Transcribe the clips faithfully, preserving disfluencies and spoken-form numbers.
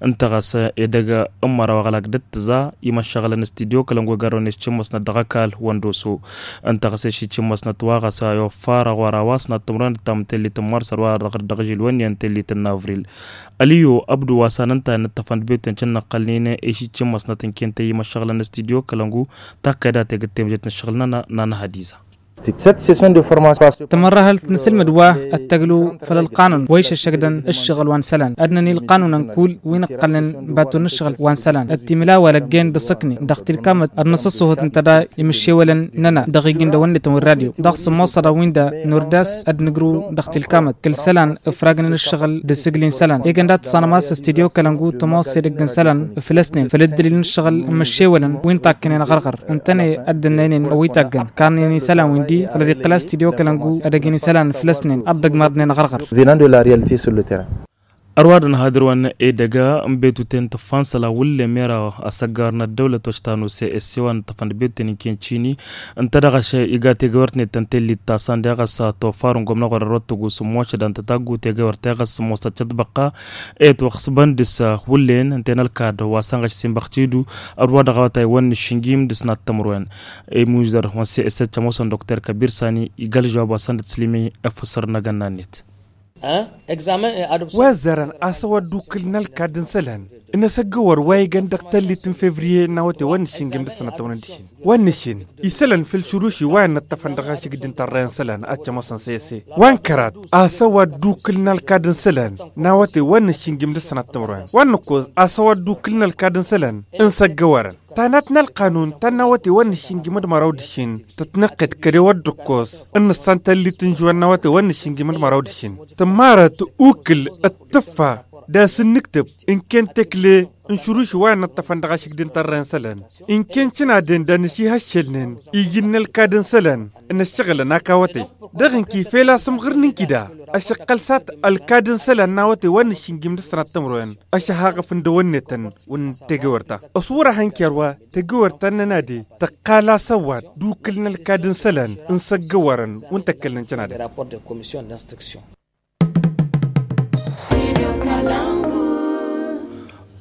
Ǝnta ɣas edăgg n-măraw aɣlak d-ǝttǝẓa imăššăɣǝlăn studyo kălăngu egarrăwăn i-s cǝmmăsnăt dăɣ-ăkall wăndoso. Ǝnta ɣas i-s cǝmmăsnăt wa ɣas a i-offar aɣwar a-wa s-năttămrăwăn d-tamǝtellit n-mars ărwa dăɣ-dăɣ žil wănni n-tellit n-avril. Ăliyo ăbdu wa s-anănta inǝṭṭăfăn d-betwen cǝnnăqqălnen i-s cǝmmăsnăt ǝnken tăyyǝm ăššăɣǝlăn studyo kălăngu takkăyda tegǝt temjet n-ǝššăɣǝl-nănăɣ n-anăhădiza. Tămărrăhălt n-asǝlmǝd wa ăttăglu făll-ălqanun wa išăššăgdăn ǝššăɣǝl wa n-isălan ad-năni ălqanunăn kull wi n-ǝqqălnen baton n-ǝššăɣǝl wa n-isălan d-timǝla wa lăggen d-asǝkni dăɣ-tilkamăt ad-năsǝṣṣuhǝt ǝnta da imǝššewălăn-nănăɣ dăɣ-iji n-dăwănnetăn wi n-radyo dăɣ-sǝmmosăḍa wi n-da n-urdas ad-nǝgru dăɣ-tilkamăt kăl-isălan ǝfragnen ǝššăɣǝl d-asǝgli n-isălan egăn dat-tăṣanăm a-s studyo kălăngu tămoos edăgg n-isălan făll-ăsnen făll-ǝddǝlil n-ǝššăɣǝl n-imǝššewălăn wi n-takkănen aɣărɣăr ǝntăne ad-dd-ǝnnăynen ăwwitaggăn karnen isălan wi n-di făll-ad-iqqǝl a-s tidyo kălăngu ad-ăgin isălan făll-ăsnen ad-dd-ăgmarnen aɣărɣăr. Venant de la realite sur le terrain. Ărwadăn hadǝr-wăn edăgg n-betuten tǝffan săla wǝllen mera asăggar n-ăddăwlăt wa s-tanuse esse wa n-tăfăn d-betuten n-kencini ǝnta dăɣ-ašăl iga tegăwert-net tăn-tellit ta săndeɣ ăssa toffarăn gomnăɣ wăr-ărrăt tăgusǝm mošăd ăntătaggu tegăwert teɣăs mosăt cătbăqqa. Etwăɣsbăn dăɣ-s wǝllen ǝnta i-nălkad wa sănɣăš sinbăɣ tidu ărwa dăɣ-awătay wăn n-ašǝnjim dăɣ-snat tămrwen. Imuzăr wa n-sesăt cămosăn dokter kabir sani igălžăwab wa săn dăɣ-tǝslǝmi efăsăr n-agănna-net. Wa ăzzarăn a-s ăwaddukkǝl n-ălkad n-isălan n-asăggăwăr wa igăn dăɣ-tallit n-fevriye n-awăte wa n-ašǝnjim dăɣ-sănăt tămrwen d-ašǝn wa n-ašǝn isălan făll-šuruši wa innăṭṭăfăn dăɣ-ašǝgd n-tărrăy n-isălan ad-cămosăn sese wa n-kărat a-s ăwaddukkǝl n-ălkad n-isălan n-awăte wa n-ašǝnjim dăɣ-sănăt tămrwen wa n-ǝkkoẓ a-s ăwaddukkǝl n-ălkad n-isălan n-săggăwărăn tanat n-ălqanun ta n-awăte wa n-ašǝnjim d-măraw d-ašǝn tătnăqqed kăd-ewăt d-ǝkkoẓ n-nǝssan tallit n-žuwăn n-awăte wa n-ašǝnjim d-măraw d-ašǝn tǝmmarăt ukǝl d-tǝffa d-asǝnnǝktǝb ǝnken tekle n-šuruši wa innăṭṭăfăn dăɣ-ašǝgd n-tărrăy n-isălan ǝnken cǝnaden d-anăšihăššălnen iji n-ălkad n-isălan n-ăššăɣǝlăn ak awătay dăɣ-ǝnki fel asǝmɣǝr n-inkida ăšăqqăl s-ad-ălkad n-isălan n-awătay wa n-ašǝnjim dăɣ-sănăt tămrăwen ăšăhaɣăf n-dăwănnetăn wǝnn tegewăr ta ăswăr-ahăn ker wa tegewăr ta n-nănade tăqqal-as ăwad d-ukǝl n-ălkad n-isălan n-săggăwărăn wǝnn tăkkălnen cănadăn.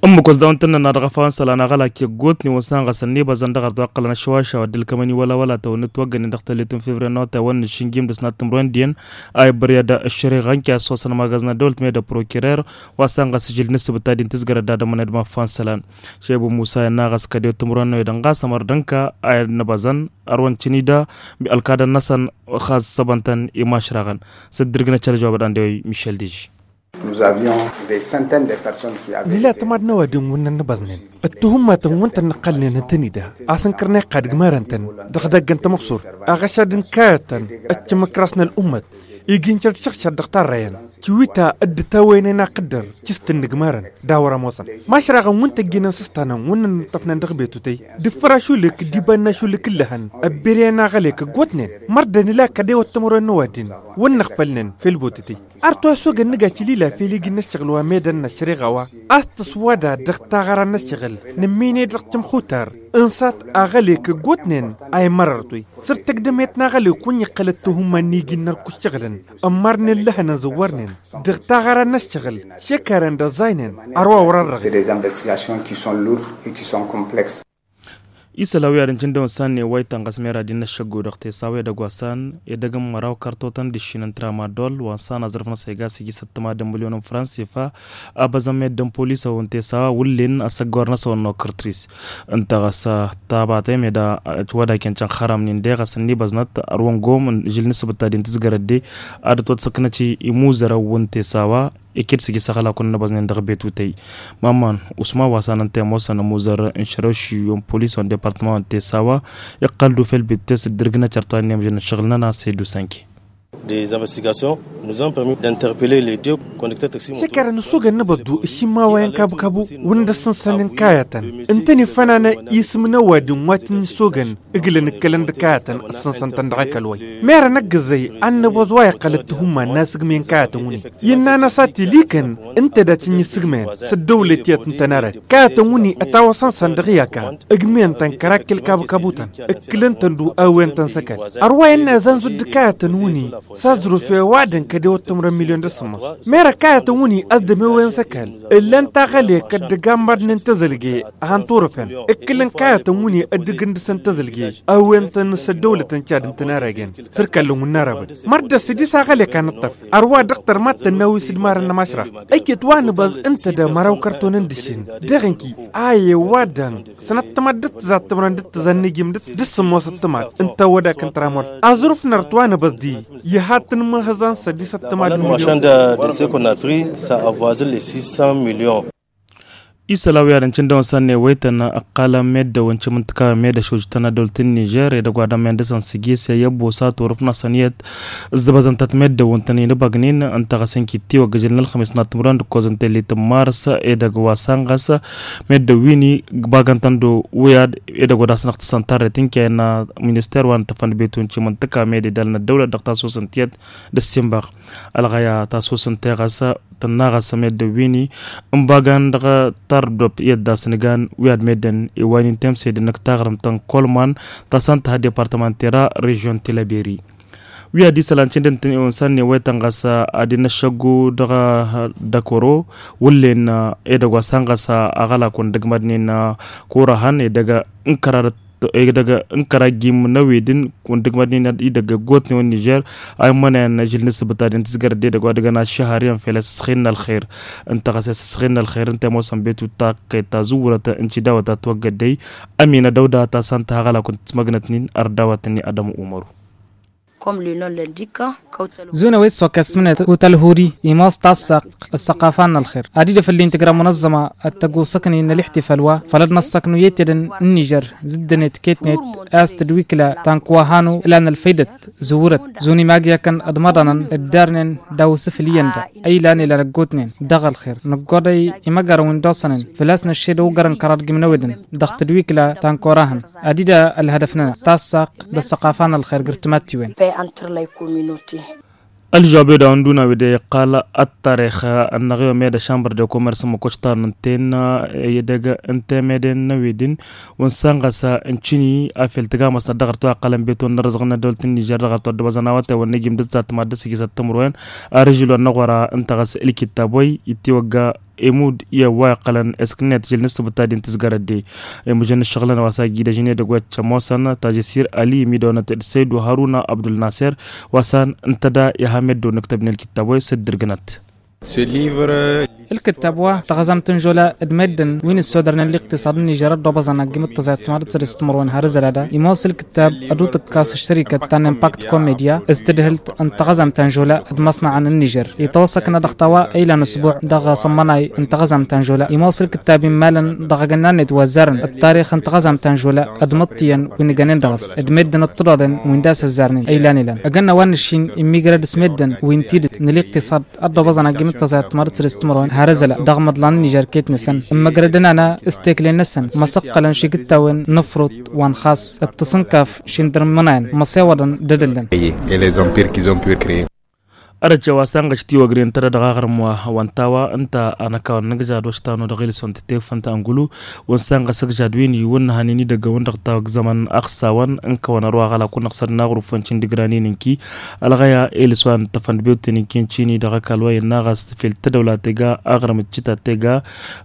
Ǝmmǝk wa s-dawăn tǝnnăna dăɣ-afawăn isălan aɣălak i-ăggootnen wa s-han ɣas ănnibăẓăn dăɣ-ărḍu aqqălăn ăššăwaša wa dd-ǝlkămăn i-wăla wăla tawănnăt wa ǝggănen dăɣ-tăllit n-fevriye n-awătay wa n-ašǝnjim dăɣ-snat timrăwen diyyăn a ibbăr i-ad-ăššăreɣ ănki a ăssosăn magazna dăwălt meda prokirer wa s-han ɣas ažǝl n-ǝssǝbǝt ta din tǝzgărăt d-ad-ămăned ma fan isălan. Šebu musa i-ănnaɣ ɣas kăd-ewăt timrăwen n-oy dăɣ-n ɣas ămăr dănka a i-ad-nǝbăẓăn ărwăn cǝnida ălkadăn-năsăn ɣas săbăn-tăn i-mašraɣăn. S-dd-irgǝnăt šăl žăwabăd ande oy mišel diži. Nǝla tămad n-ăwadǝm wǝnnăn nǝbăẓnen ăttuhǝmmatăn wǝnta n-nǝqqălnen ǝntănida a-s ǝnkărnen iqqad ǝgmarăn-tăn dăɣ-idăgg n-tamăqsurt aɣăšad n-kayăt-tăn ăccăm ǝkras n-ălummăt igi n-šăr d-šăɣšăr dăɣ-tarrăyăn. Tiwita dd-tawăynen aqǝddăr cǝst n-inǝgmarăn d-a wăr-ămoosăn mašraɣăn wǝnta ǝjjǝnăn s-ăstanăn wǝnnăn ǝnṭăfnen dăɣ-betutăy d-ǝffăr ašulǝk d-iba n-ašulǝk ǝllăhăn ăbberăyăn aɣălek ăggootnen mărdăn ila kăd-ewăt tămăroy n-ăwadǝm wǝnnăɣ făll-nen fel botătăy. Ar toyăsogăn nǝga cǝlila fel iji n-ăššăɣǝl wa medăn n-ăššăreɣa wa a-s tăswada dăɣ-taɣăra n-ăššăɣǝl nǝmmined dăɣ-tǝmxutar ǝnsat aɣălek ăggootnen a imărăr toy săr tăgdămet n-aɣălek wǝnn' iqqăl ăttuhǝmma n-iji n-nărk ǝššăɣǝlăn ămmarnen lăhăn ănzăwwărnen dăɣ-taɣăra n-ăššăɣǝl šekarăn d-ăẓẓaynen. Ărwa wăr-ărrăɣ. Des investigations qui sont lourdes et qui sont complexes. Isăl a-wi ad-ǝncǝn dăɣ-wăn s-anne wa itănɣăs mera d-innă ăššăggu dăɣ-tesawa edăgg wa s-an edăgg n-măraw kărtotăn d-iššin n-tramadol wa n-s-an aẓrǝf-năsăn iga s-iji săttăma d-ămmǝlyon n-fransifa. Abăzăn meddǝn polisăwăn tesawa wǝllen asăggor-năsăn n-okăr tris ǝnta ɣas tabatăy meda ătwădakăn cănxăramnen deɣ ɣas ănnibăznăt ărwăn gom žil n-asǝbǝt ta din tǝzgărăt de ad-ătwăt săknăt imuzărăwăn tesawa. Eked s-iji s-aɣălakun n-abăznen dăɣ-betutăy. Mamman usman wa s-an ănta i-ămoosăn ămuzăr n-šărăw šiyyun polisăwăn departămant n-tesawa iqqăl-dd ufel betutăy s-dd-irgǝnăt cărtăwăn n-emžăn n-ašăɣǝl-nănăɣ s-ed usanke. Des investigations nous ont permis d'interpeller les deux conducteurs taxi moto. Šăkărăn ăssogăn n-abăḍdu ǝššǝmma wa i-ănkabkabu wǝnda ǝssǝnsăn n-kayătăn ǝntăn ifănană isǝm n-ăwadǝm wa t-ǝnnǝssogăn ǝglăn ǝkkălăn d-kayătăn ǝssǝnsăn-tăn dăɣ-ăkall wa-i. Mera năggăzăy ad-nǝbăẓ wa iqqăl d-tihumma n-asǝgmăyăn kayătăn wǝnni. Innă-năs a t-ilikăn ǝnta dat-ǝnnǝssǝgmăyăn s-ăddăwlăt tiyyăt n-tănarăt kayătăn wǝnni ătawăsăn-săn dăɣ-i ăka ǝgmǝyăn-tăn kărakkǝl kabkabutăn ǝkkǝlăn-tăn-du a-wen-tăn s-ăkall. Ărwa innă ăzanzut d-kayătăn wǝnni s-aẓrǝf i-ăwadǝm kăd-ewăt timǝrwen milyon d-asǝmmos. Mera kayătăn wǝnni ăzdămewen s-ăkall ǝllan taɣăle kădd-ăgammădnen tăzălge. Han turǝfen ǝkkǝlăn kayătăn wǝnni ăddǝgǝndǝsăn tăzălge a-wen-tăn s-ăddăwlăt n-cad n-tănarăgen. Săr-kallăn wǝnna răbăd mărdăs d-isaɣăl i-kanăṭṭăf. Ărwa dăɣ-tărmat tănnawi s-dd-marăn n-ămašraɣ ăjjăt wa nǝbăẓ ǝnta d-măraw kărton n-dǝššin dăɣ-inki. Aye wa dăɣ-sănăt tămăddăt tǝzat tǝmrăn d-tǝzannǝjim d-sǝmmosăt tǝmat ǝnta wădak n-tramort. Aẓrǝf n-ărăt wa nǝbăẓ-di iha tǝnmăhăẓan s-ăddisăt tǝmat. Marchand de ce qu'on a pris ça avoisine les six cents millions. Isălan wi ad-ǝncǝn dăɣ-wăn s-ad-newăytăn ăqqalăn meddǝwăn cimǝntǝkawen meddǝ šujtăn ăddolt n-nižer edăgg wa dămmen dăɣ-săn s-iji s-e i-ăbbosa turǝf-năsăn iyyăt. Ǝzzăbăzăn-tăt meddǝwăn tăn-inǝbăgnin ǝnta ɣas ǝnki tiwăgg ǝžǝl n-ălxămis n-ad-tǝmrăn d-ǝkkoẓ n-tellit n-mars edăgg wa săn ɣas meddǝw wi-ni. Bagăn-tăn d-wi ad edăgg wa d-asnăɣ tǝssăn tarret n-kăyăn minister wa n-tǝfăn d-betu n-cimǝntǝka meddǝ idalăn ăddăwlăt dăɣ-tasusăn tiyyăt d-ăssinbăɣ. Ălɣăya tasusăn teɣăs tănnaɣăs meddǝwini n-bagan dăɣ-tardop i-ăddas n-gan wi ad-meddǝn iwaynin temsedăn n-taɣrǝmt n-kolman. Tasăn tǝha departămant tera režion tilăberi. Wi ad-isălan cindǝn-tăn iwǝnsan n-iwăytăn ɣas ad-inăššăggu dăɣ-dăkoro wǝllen edăgg wa s-han ɣas aɣălak wǝndǝgmădnen. Kurăhăn edăgg n-kăradăt idăgg n-kărajjim n-ewedǝn wǝndǝgmădnen idăgg ăggootnen wa n-nižer. A immănăyăn ažǝl n-ǝssǝbǝt ad-intǝzgărăt d-edăgg wa dăgg-ănaššăhar i-ănfel asǝsxin n-ălxer. Ǝnta ɣas i-asǝsxin n-ălxer ǝnta i-ămoosăn betu taqqet ta zǝwwărăt n-cidawăt ta tiwăggăddăy. Ămina dăwda ta s-han tăha aɣălak wǝntǝsmăgnătnin ărdawătăn i-adămu umaru. Zunăwet sokesmnet kutălhuri imos tassaq. Ăssăqafa n-ălxer ad-idăf ǝlli n-tǝgra munăzzăma ad-tăgusăkni n-ălixtifăl wa făll-ad-năssăknu i-tedăn n-nižer d-ǝddănet ketnet. A-s tǝdwikla ta n-kăwăhanu ǝlan ălfăydăt zǝwwărăt zun imagyakăn d-imăḍanăn dd-arnen daw-isǝfǝl iyyăn da. Ăylan ilan ăggootnen dăɣ-ălxer năggoḍăy imăgarăn wi n-dd-osănen făl-a-s năššed ăwgărăn kăraḍ gimnăwedăn dăɣ-tǝdwikla ta n-korahăn. Ad-ida ălhădăf-nănăɣ tassaq d-ăssăqafa n-ălxer gǝrtǝmat tiwen. Ălžăwab i-dd-a-wen d-una wi-dd-iqqal ăttarix ănnăɣ i-omed ăšambăr de komers n-măkoštar n-ǝnten edăgg n-temeden n-ewedǝn. Wǝnsan ɣas ǝncǝni afel tǝgamăsnăt dăɣ-ărtăw a ǝqqălăn beton n-arǝzăɣ n-ăddolt n-nižer dăɣ-ărtăw ăddăbăzăn a-wa tewănna ijim d-tǝsat tămaddăs igi s-ăttămărwen. Arǝžǝl wa n-aɣora ǝnta ɣas ǝlkitab wa-i ittiwăgga. Imud i-ăwwa iqqălăn esknet žil n-ǝssǝbǝt ta din tǝzgărăt de. Imǝžăn n-ǝššăɣǝlăn wa s-ajjidăžnen edăgg wa t-cămoosăn tajǝsir ali imidăwănăt d-săydu haruna abdulnaser. Wa s-an ǝntăda iha meddǝw n-ǝktăbnen ǝlkittab wa s-dd-irgǝnăt. Ǝlkǝttab wa tăɣăzamt n-žola d-meddǝn wi n-ǝssodărnen liqtiṣaḍ n-nižer ăddoobăẓăn aggim d-tăẓayăt timadăt săr-s timărwen har ǝzălada imoos ǝlkǝttab ăduṭ ǝkkas ăššărikăt ta n-impakt komedya s-tǝdhǝlt n-tăɣăzamt ta n-žola d-imăṣnaɣăn n-nižer itawăsăknă dăɣ-tawa ăylan usbuɛ dăɣ-asămmănay n-tăɣăzamt ta n-žola imoos ǝlkǝttab immalăn dăɣ-agănna-net wa ăzzarăn ăṭṭarix n-tăɣăzamt ta n-žola d-imǝṭṭiyăn wi n-ǝjănen dăɣ-s d-meddǝn ăṭṭuḍaḍen wi n-dd-asăzzarnen ăylan ăylan. Agănna wa n-ǝššin immigrăd s-meddǝn wi n-tidǝt n-iliqtiṣaḍ ăddoobăẓăn aggim d-tăẓayăt timadǝt săr-s timărwen har ǝzăla dăɣ-imǝḍlan n-nižer ketnăsăn ǝmmăgrădăn-anăɣ s-teklen-năsăn măsăqqălăn šigǝttawăn n-ǝfruḍ wa n-xas d-tăsǝnkaf šindărmănayăn măsewăḍăn d-edăllăn. Et les empires qu'ils ont pu créer. Ărăt cewa sanɣăš tiwăgre ǝntădăɣ dăɣ-aɣrǝm wa wănta wa ǝnta anăkawăn n-ǝgžad wa štanu dăɣ-ilson tǝtefăn ta ăngulu. Wăn sanɣăs ǝgžad wi n-iwǝnnăhăn inidăggăwăn dăɣ-tawăgzămăn ăɣsawăn n-kăwăn ărwa ɣăla kunnăɣ săr n-aɣrǝf wăn cindǝgran inǝnki. Ălɣăya elǝs wa n-tăfăn d-bewten inki n-cini dăɣ-ăkall wa innă ɣas fel tădăwla tega aɣrǝm d-cita tega.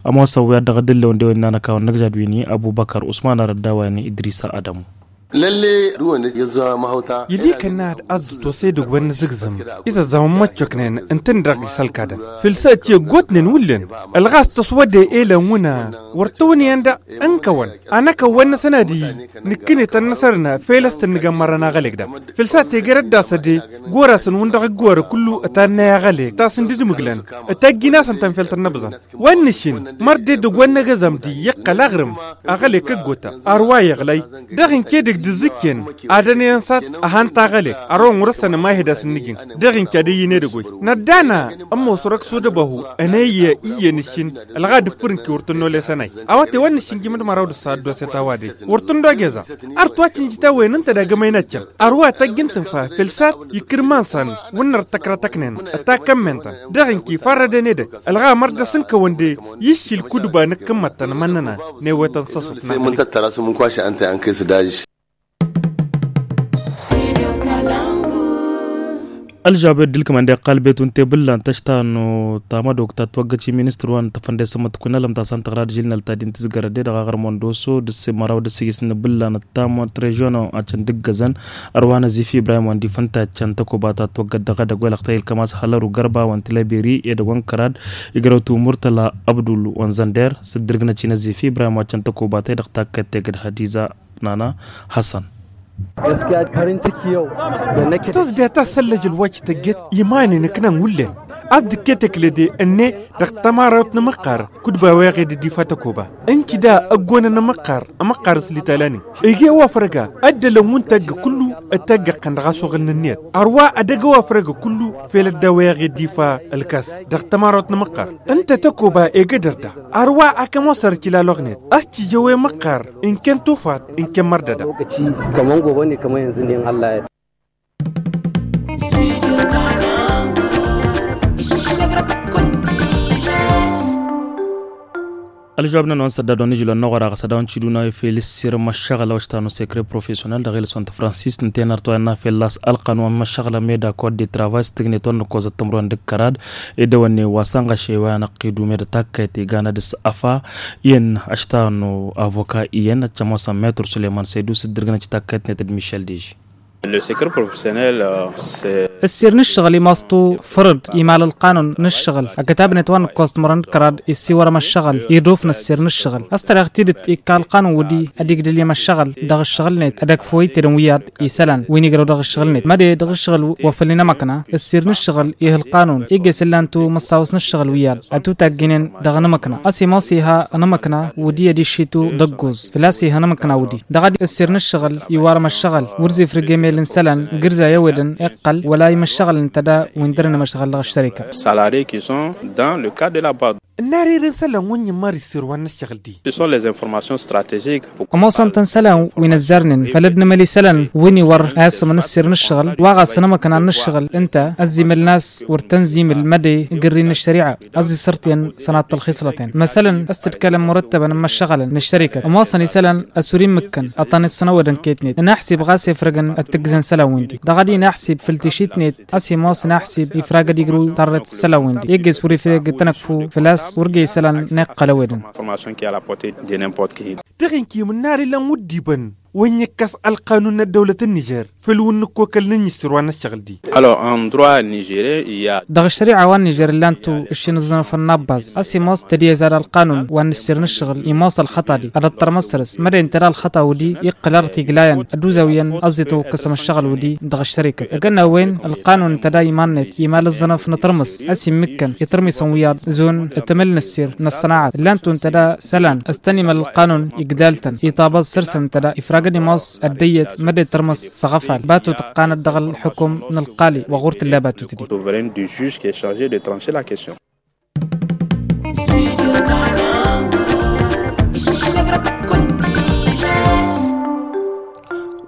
Ămoosăn wi ad-dăɣ-dd-ǝllewăn de-wen n-anăkawăn n-ăgžad wi n-abubăkăr usman arădda wa n-idrisa ădămu. Lălle duwăn i-ăzza mahawta. Ili kănna ad-ăzzut wa s-edăgg wa n-inǝzǝgzǝm izăzzamăn măccoknen ǝntǝn-dăɣ isălkadăn fǝlsa ti ăggootnen wullen. Ălɣas tăswăde elăn wǝnna wăr tăwăn iyyăn daɣ ǝnkăwăn anăkăwăn-năsăn ad-iyyǝn nǝkkǝnet ad-năsărna fel a-s tăn-nǝgămmărăn aɣălek daɣ fǝlsa tegăr ăddas ăde. Gorasăn wǝn dăɣ-ǝggoră kullu ătannăy aɣălek tasǝndǝdmǝglăn ătajjin-asăn tănfel tănnăbẓăn. Wa n-nǝššin măr d-edăgg wa n-agăzam di iqqăl aɣrǝm aɣălek ăggoota. Ar wa iɣlay dăɣ-inke dăgg d-ǝzzǝkken ad-ănăyăn s-ad-ăhan taɣălek. Ărwa n-wăr-ăssăn ămahed a-s n-nǝjǝn dăɣ-inke ad-ăyyǝn edăgg-oy. Năddana ămoos răksu d-ăbăhu ănăyya iyyăn ǝššin ălɣa d-ǝffǝr n-ki wăr tǝnno lesănay. Awăte wa n-nǝššin jimǝd măraw d-ǝssa ăddoset a-wa dăy wăr tǝnno ageza. Ar tăwăcǝnjǝt a-wen ǝnta d-agămăy n-ad-căm ărwa tajjǝn tǝnfa fel s-ad-ikkǝr iman-săn wǝnnăr tăkrătăknen ătakămmen-tăn. Dăɣ-inki farrăden edăgg ălɣa măr dăɣ-s ǝnkăwăn de iššil kudba n-ǝkkǝmmăt-tăn mănnăna. N-ewetăn s-ăṣuk n-aɣăli. Ălžawab ed ǝlkǝmăn d-iqqal betun tebǝllan tăštanu tamădok ta ătwăggăt i-ministăr wa n-tăfănde s-ămmăt kunălăm ta s-antăɣra d-žilnăl ta din tǝzgărăt de dăɣ-aɣrǝm wa n-doso d-ǝssin măraw d-ǝssǝjǝs n-ibǝllan ăttamăt režiono ad-căn d-ǝggăzăn. Ărwa n-azifi ibrahim wa n-difăn ta ad-căn tăkoba ta ătwăggăt dăɣ-edăgg wa ilăɣtăy ǝlkămas hălăru gărba wa n-tilăberi edăgg wa n-kărad. Igrăw timur tăla abdul wa n-zănder s-dd-irgnăt i-năzifi ibrahim wa ad-căn tăkoba ta edăɣ takkăt tegăd hadiza. Nana hassan. Tăzde a tassăllăj ălwăj tăjjăt iman-in ǝknan wullen ad-dd-ǝkket ǝklede ǝnne dăɣ-tămarawt n-amăqqar. Kudba weɣed dd-ifa tăkoba ǝnci da ăggonăn amăqqar amăqqar s-litalanin. Ege wa fărăga ăddălăn wǝnta ăgg kullu ătăggăqqăn dăɣ-asuɣǝl n-ǝnniyăt. Ărwa ad-ăgg wa fărăga kullu fel ădda weɣed dd-ifa ălkas dăɣ-tămarawt n-amăqqar. Ǝnta tăkoba egădăr da ărwa akăm osăr cila loɣnet. Ăscijăwe măqqar ǝnken tufat ǝnken mărdăda. Kămăn gobo ne kămăn yanzǝn din allah ya. Ălžăwab n-anăwăn sădda dăɣ-nǝžǝl wa n-năɣora ɣas ad-dăɣ-nǝšiduna ifel ǝssir măššăɣǝl a-wa ǝštanu sekre profesional dăɣ-ilăswăn tafransist n-tenărt wa innă fel las ălqan wa n-măššăɣǝl ameda kod de travay s-tǝgnet wa n-nǝkkozăt tǝmrăwen d-ǝkkărad. Edăwănne wa sănɣăše wa i-anăqqidu meda takkăyăt iganăd s-ăfa iyyăn ăštanu avoka iyyăn ăccăm wa s-ămmetru suleyman săydu s-dd-irgǝnăt i-takkăyătnet d-mišel deži. Ăssir n-ǝššăɣǝl imaẓ-tu fărăd imal ălqanun n-ǝššăɣǝl ăkătabnet wa n-ǝkkoẓ timărăn d-kărad issiwărăm ăššăɣǝl iduf n-ăssir n-ǝššăɣǝl. Ăstăreɣ tidǝt ikka ălqanun wǝddi ad-igdǝl i-imăššăɣǝl dăɣ-ǝššăɣǝl-net ad-ăkf wăyy tedăn wi ad-isălan wi n-igrăw dăɣ-ǝššăɣǝl-net măde dăɣ-ǝššăɣǝl wa făll-inămăkna. Ǝssir n-ǝššăɣǝl ih' ălqanun igges ǝllan-tu măssawăs n-ǝššăɣǝl wi ad-ătutajjǝnen dăɣ-inămăkna ăsimos iha inămăkna wǝddi ad-iššitu d-ăggoẓ făl-a-s iha inămăkna wǝddi. Dăɣ-ad-ăssir n-ǝššăɣǝl iwarăm ăššăɣǝl wăr zifrǝg emel n-isălan gǝrza i-ăwedăn iqqăl wăla imăššăɣǝl n-tăda wi n-dăr-inămăšɣăl dăɣ-ăššărika. Salarier qui sont dans le cadre de la bad. Ǝnnar ere n-isălan wǝnnin mari ǝssir wa n-ǝššăɣǝl-di. Ce sont les informations stratégiques. Ămoosăn-tăn isălan wi n-ăzzarnen făll-ad-nǝmăl isălan wi n-iwăr a issămăn ǝssir n-ǝššăɣǝl wa ɣas inămăkna n-ǝššăɣǝl ǝnta ăzzimăl n-a-s wăr tăn-zimǝl măde igǝrri n-ăššări'a. Ăzzisărten sănaḍt ălxisrăten măsălăn a-s tǝdkălăn murăttăbăn n-imăššăɣălăn n-ăššărika. Ămoosăn isălan ăsur immǝkkăn ăṭṭan isănăwădăn kăyătnet inaxsib ɣas efrăgăn ad-t-ǝggǝzăn isălan-win-di dăɣ-ad-inaxsib făll-tišitnet. Ăsimos inaxsib ifrag ad-igrǝw tarret isălan-win-di igges wăr ifreg tănăkfu făl-a-s wăr ge isălan n-iqqăl ăwedăn. Dăɣ-inkim ǝnnar ilăn wăr dd-ibăn wa n-ikkăs ălqanun n-ăddăwlăt n-nižer făll-wǝnnǝk okăl n-ǝnnǝšsǝr wa n-ăššăɣǝl-di. Dăɣ-ăššări'a wa n-nižer ǝllan-tu ǝššin ǝẓẓănăfăn n-abbaz ăsimos tădiyăzad ălqanun wa n-ǝššir n-ǝššăɣǝl imos ălxăṭṭa-di ad-ăṭṭărmăs săr-s mădden tăra ălxăṭṭa wǝddi iqqăl arăt iglayăn ad-uzawǝyăn ăẓẓităw ǝkkăsăm ăššăɣǝl wǝddi. Dăɣ-ăššărikăt ăgg ănnawăyăn ălqanun n-tăda iman-net imal ǝẓẓănăf n-atărmǝs a-s immǝkkăn itărmisăn wiyaḍ zun. Tămăl n-ăssir n-ăṣṣănaɛat ǝllan-tu n-tăda isălan s-tăn-imăl ălqanun igdal-tăn iṭabăẓ săr-săn n-tăda ifragăd imos ăddăyyăt mădden tărmǝs s-aɣăfal batut ǝqqanăt dăɣ-ălxǝkum n-ălqali wa ɣur-tǝlla batut-di.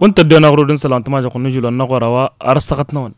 Wănta ăddoyăn aɣrud n-isălan tămažăɣt n-ažul wa n-aɣora wa ar ăssăɣăt-năwăn.